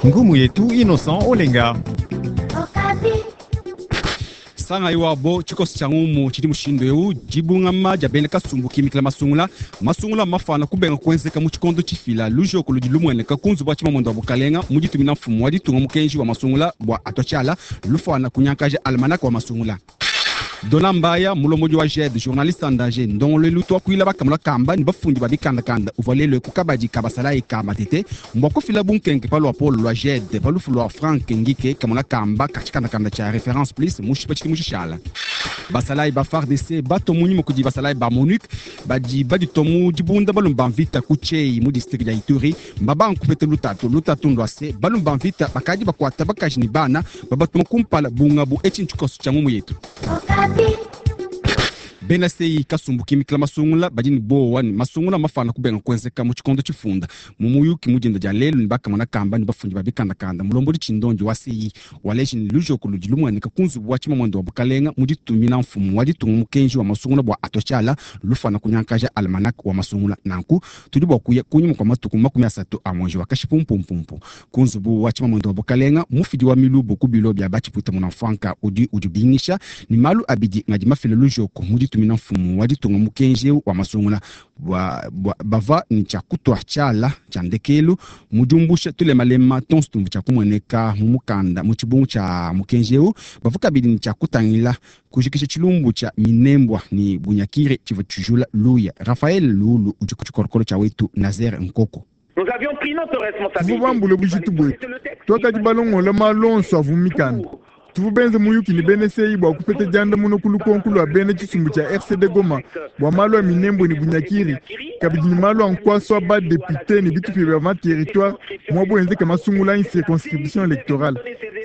Ngumu yetu Innocent Olenga. Sangayi wabo tshikoso tshia ngumu tshidi mushindu eu: dibungama dia bena kasumbu kimikila masungula, masungula mafana kubenga kuenzeka mu tshikondo tshifila. Lujoko ludi lumueneka ku nzubu wa tshimamuende wa bukalenga mu ditumina mfumu wa ditunga mukenji wa masungula bua atua tshiala lufana kunyankaja almanaka wa masungula. Dona Mbaya, mulombodi wa JED, Journaliste en Danger, ndongoluelu tuakuila bakamula kamba ne bafundi ba bikandakanda, uvua lelu ku kabadi ka basalayi ka Matete mbua kufila bunkenke pa luapolo lua JED pa lufu lua Frank Ngike, kamona kamba ka tshikandakanda tshia Reference Plus mushipa tshidimu tshishala. Basalayi ba FARDC batua munyima kudi basalayi ba MONUC badi baditua mu dibunda balume ba mvita ku Tshei mu district dia Ituri mbabanga kupeta lutatu. Lutatu ndua se balume ba mvita bakadi bakuata bakaji ne bana babatuma kumpala bungabu. Etshi ntshikoso tshia ngumu yetu. Bena CEI, kasumbu kimikila masungula, badi ne bowa ne masungula mafana kubenga kuenzeka mu tshikondo tshifunda. Mu muyuki mu dinda dia lelu ne bakamona kamba ne bafundi ba bikandakanda, mulombodi tshindondi wa CEI waleji ne lujoko ludi lumueneka ku nzubu wa tshimamuende wa bukalenga mu ditumina mfumu wa ditunga mukenji wa masungula bua atua tshiala lufana kunyankaja almanach wa masungula. Nanku tudi bua kuya kunyima kua matuku 30 a mwezi wa Kashipumpumpu ku nzubu wa tshimamuende wa bukalenga. Mufidi wa milubu ku bilo bia batshipuita munamfuanka udi udibingisha ne malu abidi ngadi mafile lujoko mu ditumina mfumu wa ditunga mukenji eu wa masungula bua, bua bava ne tshia kutua tshiala tshia ndekelu mu diumbusha tulemalema tonso tumvu tshia kumueneka mu mukanda mu tshibungu tshia mukenji eu. Bavua kabidi ne tshia kutangila kujikisha tshilumbu tshia Minembwa ne Bunyakiri tshivua tshijula luya. Raphaël Lulu udi ku tshikolokolo tshia wetu Nazaire Nkoko. Tuvua bambule bujitu buetu, tuakadi balongola malu onso avua mu mikanda. Tuvua benze muyuki ne bena CEI bua kupeta diandamuna ku lukonko lua bena tshisumbu tshia RCD Goma bua malu a Minembwe ne Bunyakiri, kabidi ne malu a nkuasa wa ba-depute ne bitupa bia ma-territoire muabu enzeka masungula anyi circonscription electorale.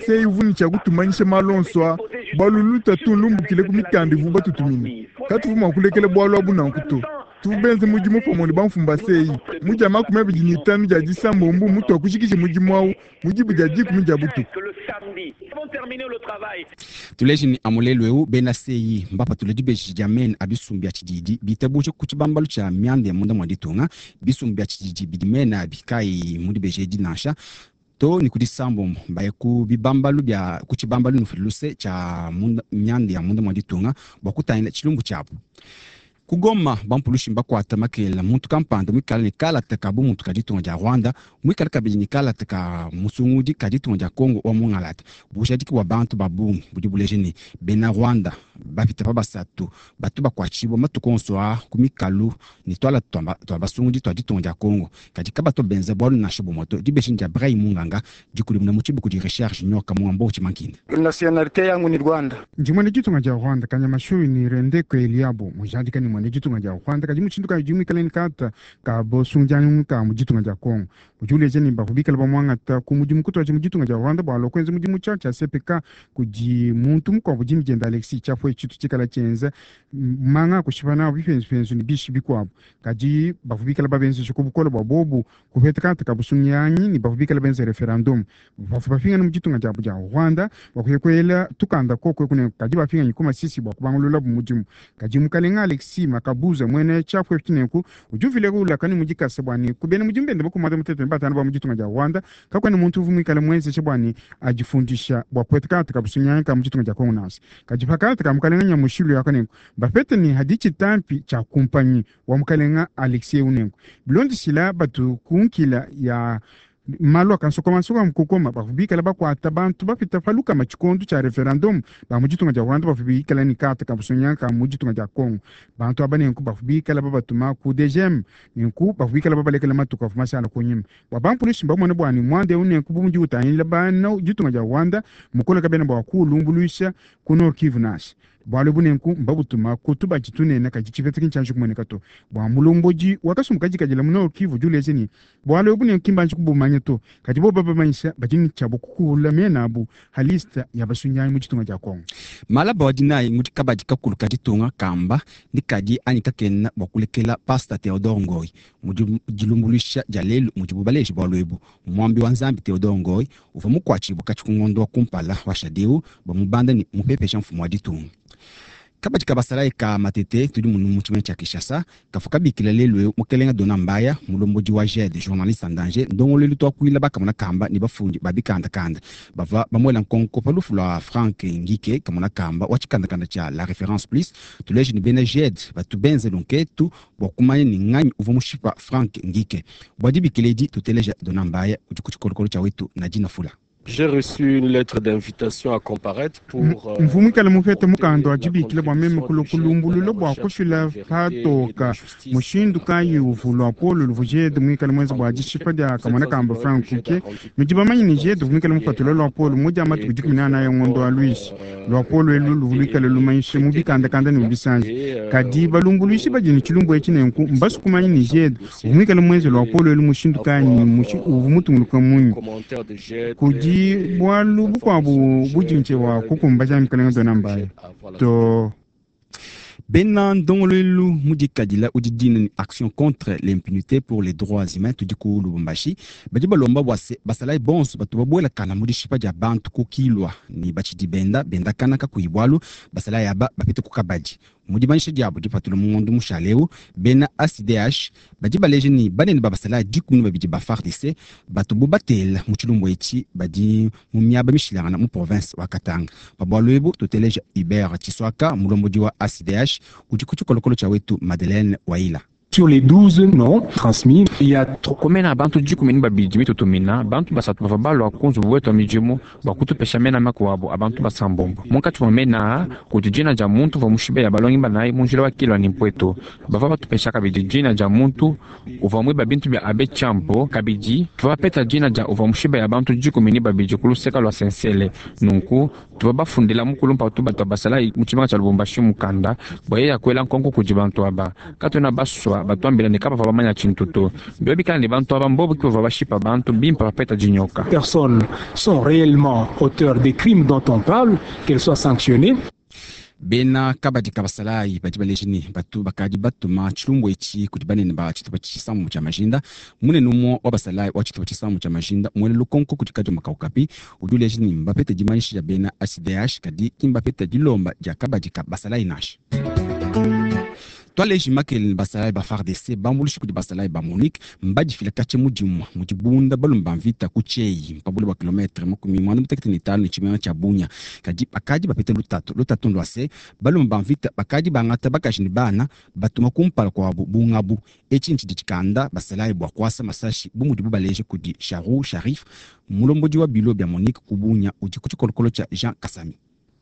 CEI uvua ne tshia kutumanyisha malu onso aa bualu lutatu nlumbukile ku mikanda ivuabu batutumine. Katuvua mua kulekela bualu abu nanku to. Tuvua benze mudimu pamue ne bamfumu ba CEI mu dia 25 dia disambombo mutuakujikija mudimu au mu diba dia 10 dia butuku. Tuleje ne amu lelu eu bena CEI mbapatule dibeji dia mena a bisumbu bia tshididi bitabuje ku tshibambalu tshia mianda ya munda mua ditunga. Bisumbu bia tshididi bidi mena abi kayi mu dibeji edi nansha to ne ku disambombo mbaye ku bibambalu bia ku tshibambalu nufuile luse tshia munda, mianda ya munda mua ditunga bua kutangila tshilumbu tshiabu. Ku Goma, bampulushi mbakuata makelela muntu kampanda muikale ne kalata ka bumuntu ka ditunga dia Rwanda, muikale kabidi ne kalata ka musungudi ka ditunga dia Congo wa mungalata. Bujadiki bua bantu ba bungi budi buleja ne bena Rwanda bapita pa basatu batu bakuatshibua matuku onso aa ku mikalu ne tuala tua basungudi tua ditunga dia Congo, kadi kabatu benza bualu nansha bumue to. Dibeji dia Bray Munganga dikudimuna mu tshibuku di Recherche Nyoka Muambo Tshimankinda. Nationalite yangu ni Rwanda. Ndi muena ditunga dia Rwanda. Kanyamashuyi ni Rendeko Eliabo mujadika ni muena ditunga dia Rwanda, kadi mushindu kayi udi muikale ne kalata ka bosungianyi ka mu ditunga dia Congo? Udi uleja ne bavua bikale bamuangata ku mudimu kutuadija mu ditunga dia Rwanda bua alua kuenza mudimu tshia tshia CPK kudi muntu mukuabu dina diende Alexis Tshiapwe, tshitu tshikala tshienza manga a kushipa nawu bipenzupenzu ne bishi bikuabu, kadi bavua bikale babenzesha ku bukole bua bobu kupeta kalata ka busungianyi ne bavua bikale benza referendum. Bavua bapingana mu ditunga diabu dia Rwanda bua kuya kuela tukanda koku eku ne kadi bapinganyi ku Masisi bua kubangululabu mudimu. Kadi mukalenga Alexis Makabuza muena tshiapu etshi nenku udi uvila ulaka ne mu dikasa bua ne ku bena mudimu bende bakumata mutete ne batanu ba mu ditunga dia Rwanda kakuena muntu uvua muikale muenzesha bua ne adifundisha bua kupeta kalata ka busunyanyi ka mu ditunga dia Congo nansha. Kadi pa kalata ka mukalenga Nyamushilu aka nenku bapete ne hadi tshitampi tshia kumpanyi wa mukalenga Alexis eu nenku bilondeshila batu ku nkila ya malu akansokomansoka kukoma bavua bikala bakuata bantu bapita pa lukama tshikondo tshia referendum ba mu ditunga dia Rwanda bavua bikala ne karte ka busonya ka mu ditunga dia Congo. Bantu aba nenku bavua bikala babatuma ku DGM, nenku bavua bikala babalekela matuku avua mashala kunyima bua bampulushi mbamone bua ne muanda eu nenku bu mudi utangila bana ditunga dia Rwanda mukole kabena bua kuulumbuluisha ku Nord Kivu nansha. Bualu ebu nenku mbabutuma ku tubadi tunene, kadi tshipeta ki ntshianji kumueneka to. Bua mulombodi wa kasumbu kadikadila mu Nord Kivu udi uleja ne bualu ebu nenku ki mbanji kubumanya to, kadi bobu babamanyisha badi ne tshiabu kukuula mena abu ha liste ya basunyanyi mu ditunga dia Congo. Malaba wa dinayi mudi kabadi kakulu ka ditunga kamba ni kadi anyi kakena bua kulekela Pasta Theodore Ngoy mu dilumbuluisha dia lelu mudibu baleje bualu ebu. Muambi wa Nzambi Theodore Ngoy uvua mukuatshibue katshi ku ngondo wa kumpala wa shadeu bamubanda ne mupepesha mfumu wa ditunga. Kabadi ka basalayi ka Matete tudi munu mu tshimenga tshia Kinshasa kavua kabikila lelu eu mukelenga Dona Mbaya, mulombodi wa GED journaliste en danger, ndongoluelu tuakuila bakamona kamba ne bafundi ba bikandakanda bavua bamuela nkonko pa lufu lua Frank Ngike kamona kamba wa tshikandakanda tshia La Reference Plus. Tuleje ne bena GED batu benze lunketu bua kumanya ni nganyi uvua mushipa Frank Ngike. Bua dibikila edi tuteleja Dona Mbaya udi ku tshikolokolo tshia wetu Nadine Fula. J'ai reçu une lettre d'invitation à comparaître pour Mvua muikale mupete mukanda wa dibikila bua meme kulua kulumbulula bua kufila patoka mushindu kayi uvua luapolo luvua GED muikale muenze bua dishipa dia kamona kamba Frank Kuke. Nudi bamanye ne GED uvua muikale mupatula luapolo mu dia matuku 14 ya ngondo wa Luishi. Luapolo elu luvua luikale lumanyisha mu bikandakanda ne mu bisanji. Kadi balumbuluishi badi ne tshilumbu etshi nenku mbasu kumanya ne GED uvua muikale muenze luapolo elu mushindu kayi ne uvua mutunguluka munyi. Kudi bualu bukuabu budi wa kukumbaja mukalenga Dona Mbaya to. Bena ndongoluelu mudikadila udi dina ni action contre l'impunité pour les droits humains tudi ku Lubumbashi badi balomba bua se basalayi bonso batu babuelakana mu dishipa dia bantu ku Kilwa ni batshidi benda bendakana kakuyi bualu basalayi aba bapite ku kabadi. Mu dimanyisha diabu dipatula mu ngondo mushale eu, bena ACDH badi baleja ni banene ba basalayi 12 ba FARDC batu bu batela mu tshilumbu etshi badi mu miaba mishilangana mu province wa Katanga. Pa bualu ebu tuteleja Hubert Tshiswaka, mulombodi wa ACDH udi ku tshikolokolo tshia wetu Madeleine Waila. Sur les 12 noms transmis, il y a Komena bantu 12 mitutumina bantu basatu bava balua ku nzubu wetu wa midimu bua kutupesha mena makuabu a bantu basambombo. Munkatshi mua mena kudi dina dia muntu uvua mushibeya balongi banayi mu njila wa Kilwa ne Mpweto. Bavua batupesha kabidi dina dia muntu uvua muiba bintu bia Abe Champo. Kabidi tuvua bapeta dina dia uvua mushibeya bantu 12 ku luseka lua Sensele. Nunku tuvua bafundila mukulu mpatu batu basalayi mu tshimenga tshia Lubumbashi mukanda bua yeye akuela nkonko kudi bantu aba. Katuena basua batuambila ne kabavua bamanya tshintu to. Biobi bikala ne bantu aba mbobu ke bavua bashipa bantu bimpe bapeta dinyoka. Personnes sont réellement auteurs des crimes dont on parle, qu'elles soient sanctionnées. Bena kabadi ka basalayi badi baleja ne batu bakadi batuma tshilumbu etshi kudi banene ba tshitupa tshisamu tshia majinda. Munene umue wa basalayi wa tshitupa tshisamu tshia majinda muele lukonko kudi kadioma kaukapi udi uleja ne mbapete dimanyisha dia bena ACDH kadi ki mbapete dilomba dia kabadi ka basalayi nansha. Twaleji makele ne basalayi ba FARDC bambuluishi kudi basalayi ba MONUC mbadifila katshia mudimu mu dibunda balume ba mvita ku Tshei mpabule bua kilometre 95 ne tshimenga tshia Bunia. Kadi bakadi bapete lutatu. Lutatu ndua se balume ba mvita bakadi bangata bakaji ne bana batuma kumpala kuabu bungabu. Etshi ntshidi tshikanda basalayi bua kuasa masashi bu mudibu baleje kudi Charu Sharif, mulombodi wa bilo bia MONUC ku Bunia udi ku tshikolokolo tshia Jean Kasami.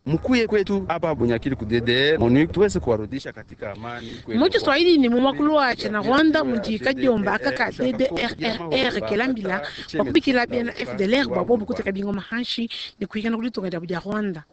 Mkuye kwetu hapa Bunyakiri ku DDR MONUC tuweze kuwarudisha katika amani. Mu Kiswahili ni mu mwakulu wa Rwanda mudi kadiomba aka ka DDRRR kelambila bakubikila bena FDLR bua bobu kuteka bingoma hanshi ne kuhikana kuditunga diabu dia Rwanda.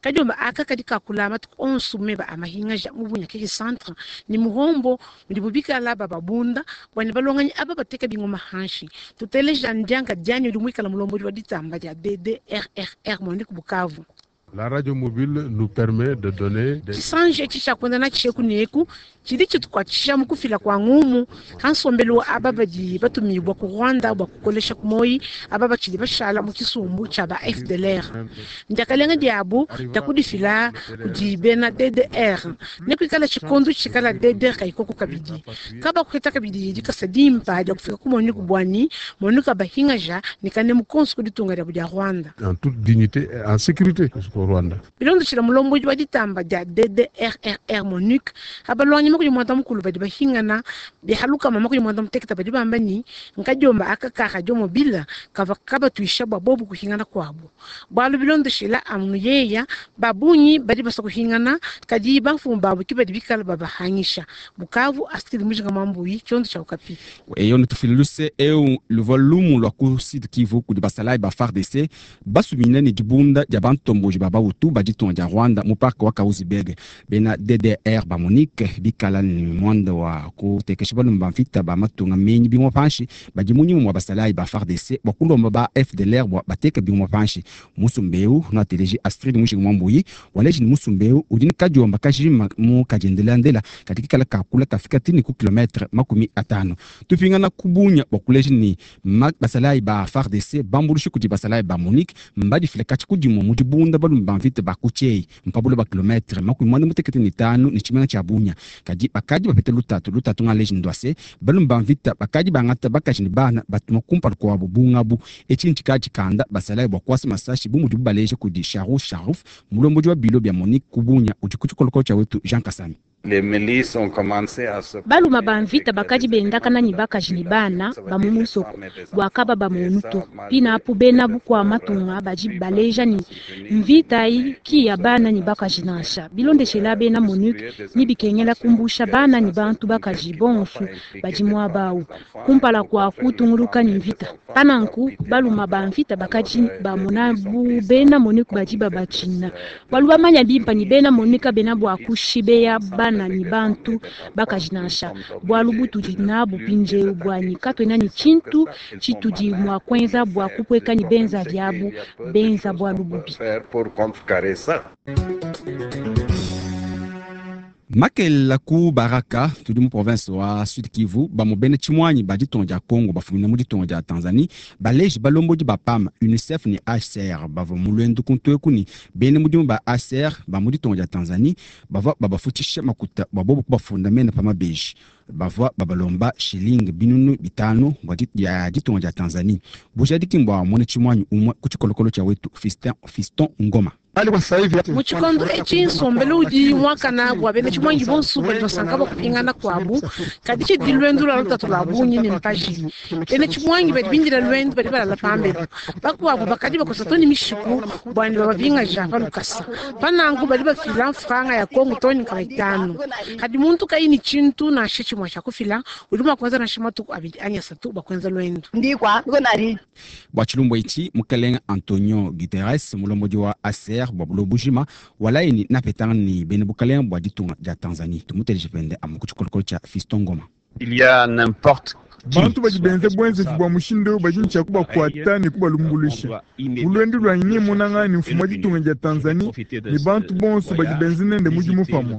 Kadiomba aka kadi kakula matuku onso meba amahingaja mu Bunyakiri centre ni muhombo mudi bubikala bababunda bua ne balonganyi aba bateka bingoma hanshi. Tuteleja ndianga dianyi udi muikala mulombodi wa ditamba dia DDRRR MONUC Bukavu. La radio mobile nous permet de donner des Tshisanji etshi tshia kuenda natshi eku ne eku tshidi tshitukuatshisha mu kufila kua ngumu ha nsombelu wa aba badi batumibua ku Rwanda bua kukolesha ku moyi aba batshidi bashala mu tshisumbu tshia ba FDLR. Ndiakalenga diabu dia kudifila kudi bena DDR ne kuikala tshikondo tshikala DDR kayikoko kabidi kabakuheta kabidi dikasa dimpa dia kufika ku MONUC buani MONUC abahingaja ne kanemu konso ku ditunga diabu dia Rwanda. En toute dignité et en sécurité jusqu'au Rwanda. Bilondeshila mulombodi wa ditamba dia DDRRR MONUC abalwanyi makudi mwanda mukulu badi bahingana bihalukama makudi mwanda muteketa badi bamba ni nkadiomba aka ka radio mobile kava kabatuisha bua bobu kuhingana kuabu bualu bilondeshila amunu yeya babunyi badi basa kuhingana kadi bamfumu babu ki badi bikala babahangisha. Bukavu Astrid Mujinga Mambuyi tshiondo tshia Okapi. Eyo netufile luse eu luvua lumu lua ku Sud Kivu kudi basalayi ba FARDC basumine ne dibunda dia bantomboji ba Bahutu ba ditunga dia Rwanda mu parc wa Kahuzi-Biega. Bena DDR ba MONUC bikala ne muanda wa kutekesha balume ba mvita ba matunga menyi bimua panshi badi munyima mua basalayi ba FARDC bua kulomba ba FDLR bua bateka bimua panshi. Musumba eu nuateleji Astrid Mujinga Mwambuyi waleji ni musumba eu udi ne kadiomba kajima mu kadiendelandela kadi kikala kakula kafika tini ku kilometre 50. Tupingana ku Bunia bua kuleja ni basalayi ba FARDC bambuluishi kudi basalayi ba MONUC mbadifila katshi kudimua mu dibunda balume. Balume ba mvita ba ku Tshei mpa buloba kilometre 45 ne tshimenga tshia Bunia. Kadi bakadi bapeta lutatu. Lutatu ngaleji ndua se, balume ba mvita bakadi bangata bakaji ne bana batuma kumpala kuabu bu ngabu. Etshi ntshikadi tshikanda basalayi bua kuasa masashi bu mudibu baleja kudi Charou Charuf, mulombodi wa bilo bia MONUC ku Bunia udi ku tshikolokolo tshia wetu Jean Kasami. Baluma ba mvita bakadi bendakana ne bakaji ne bana ba mu musoko bua kaba bamonu to. Pinapu bena bukua matunga badi baleja ne mvita ayi ki ya bana ne bakaji nansha. Bilondeshela bena MONUC ne bikengela kumbusha bana ne bantu bakaji bonsu badi muaba awu kumpala kua kutunguluka ne mvita. Pananku baluma ba mvita bakadi bamona bu bena MONUC badi babatshina bualu bamanya bimpa ne bena MONUC kabena bua kushibeya bana ne bantu bakaji nansha. Bualu butudi nabu mpindieu buanyi katuena ne tshintu tshitudi mua kuenza bua kupueka ne benza diabu benza bualu bubi. Makelela ku Baraka tudi mu province wa Sud Kivu bamue bena tshimuanyi ba ditunga dia Congo bafumina mu ditunga dia Tanzanie baleji balombodi ba PAM, UNICEF ne HCR bavua mu luendu ku ntueku ne bena mudimu ba HCR ba mu ditunga dia Tanzanie bavua babafutshisha makuta bua bobu kubafunda mena pa mabeji. Bavua babalomba shilingi 5000 bua ya ditunga dia Tanzanie. Bujadiki mbua muena tshimuanyi umue ku tshikolokolo tshia wetu Fiston Ngoma. Mu tshikondo etshi nsombelu udi muakana bua bena tshimuangi bonso badi basanka bua kupingana kuabu, kadi tshidi luendu lua lutatu lua bungi ne mpaji. Bena tshimuangi badi bindila luendu badi balala pambelu, bakuabu bakadi bakosa to ne mishiku bua ne babapingaja pa lukasa. Pananku badi bafila mfranga ya Kongo to ne 500. Kadi muntu kayi ne tshintu nansha tshimue tshia kufila, udi mua kuenza nansha matuku abidi anyi asatu bua kuenza luendu. Bua tshilumbu etshi, mukelenge Antonio Guterres, mulombodi wa ACR bua buloba bujima, walayi ne napetangana ne bena bukalenge bua ditunga dia Tanzanie. Tumuteleje pende amu ku tshikolokolo tshia Fiston Ngoma. Il y a n'importe Bantu badi benze buenzeji bua mushindu eu badi ne tshia kubakuata ne kubalumbuluisha. Mu luendu luanyi nemonangane ne mfumu wa ditunga dia Tanzanie ne bantu bonso badi benze nende mudimu pamue.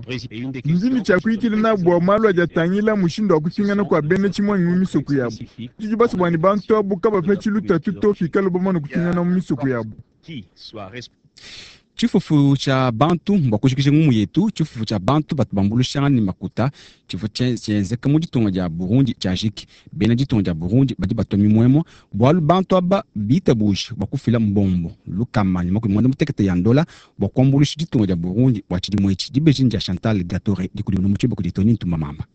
Ndi ne tshia kuyikila nabu bua malu adi atangila mushindu wa kupingana kua bena tshimuangi mu misoko yabu. Tudi basue bua ne bantu abu kabapetshi lutatu to pikala bamane kupingana mu misoko yabu. Tshifufu tshia bantu bua kujikija ngumu yetu, tshifufu tshia bantu batu bambuluishangana ne makuta tshivua tshienzeka mu ditunga dia Burundi tshiajiki. Bena ditunga dia Burundi badi batua mimuemue bualu bantu aba bitabuje bua kufila mbombo 180 ya ndola bua kuambuluisha ditunga dia Burundi bua tshidimu etshi. Dibeji dia Chantal Gatore dikudimuna mu tshiluba kudi Tony Ntumba Mamba.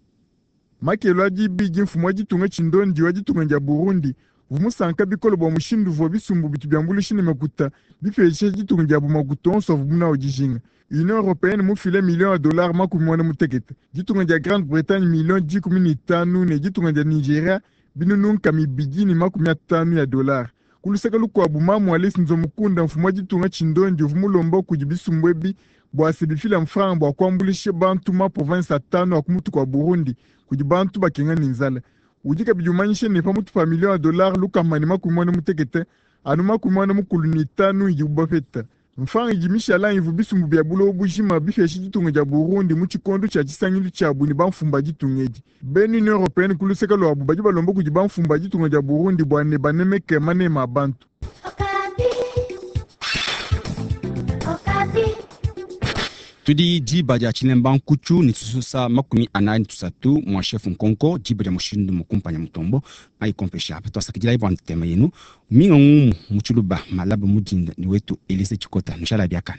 Makelo a dibidi mfumu wa ditunga tshindondi wa ditunga dia Burundi uvua musanka bikole bua mushindu uvua bisumbu bitu biambuluisha ne makuta bipesha ditunga diabu makuta onso avuabu nawu dijinga. Union européenne mufile million ya dollars 50, ditunga dia Grande-Bretagne million 15 ne ditunga dia Nigeria 250 ya dollars. Ku luseke lukuabu mamu Alice Nzomukunda mfumu wa ditunga tshindondi uvua mulomba kudi bisumbu ebi bua se bifila mfranga bua kuambuluisha bantu ma province atanu a ku mutu kua Burundi kudi bantu bakenga ne nzala. Udi kabidi umanyisha ne pamutu pa million ya dollars 180 anu 95 idibu bapeta. Mfranga idi mishala ivu bisumbu bia buloba bujima bipesha ditunga dia Burundi mu tshikondo tshia tshisangilu tshiabu ne bamfumu ba ditunga edi. Bena Union européenne ku luseke luabu badi balomba kudi bamfumu ba ditunga dia Burundi bua ne banemeke manema a bantu. Tudi diba dia tshilemba nkutshu ne tshisusa 43 mwa chef nkonko diba dia mushindu mukumpanya mutombo aikompesha apa twasakidila bua ntema yenu minga ngumu mu tshiluba malaba mudinda ni wetu Elise Chikota nshala biakana.